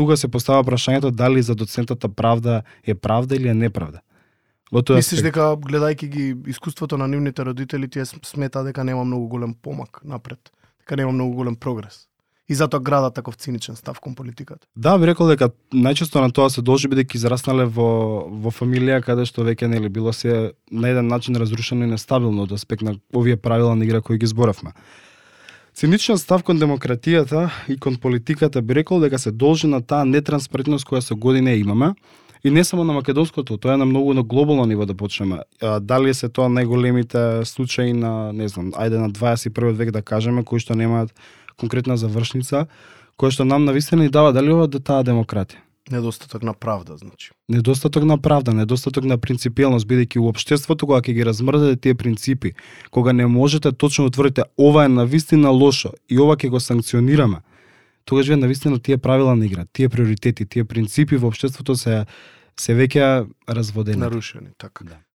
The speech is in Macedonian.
тука се постава прашањето дали за доцентата правда е правда или е неправда. Мислиш дека гледајќи ги искуството на нивните родители, тие смета дека нема многу голем помак напред, дека нема многу голем прогрес. И затоа градат таков циничен став кон политиката. Да, би рекол дека најчесто на тоа се должи бидејќи израснале во фамилија каде што веќе нели било се на еден начин разрушено и нестабилно од аспект на овие правила на игра кои ги зборавме. Циничен став кон демократијата и кон политиката би рекол дека се должи на таа нетранспарентност која со години имаме. И не само на македонското, тоа е на многу на глобално ниво да почнеме. Дали се тоа најголемите случаи на, не знам, ајде на 21 век да кажеме, кои што немаат конкретна завршница, која што нам навистина ни дава дали ова таа демократија. Недостаток на правда, значи. Недостаток на правда, недостаток на принципиелност, бидејќи у општеството кога ќе ги размрдате тие принципи, кога не можете точно да тврдите ова е навистина лошо и ова ќе го санкционираме, тогаш вие навистина тие правила на игра, тие приоритети, тие принципи во општеството се веќе разводени. Нарушени, така. Да.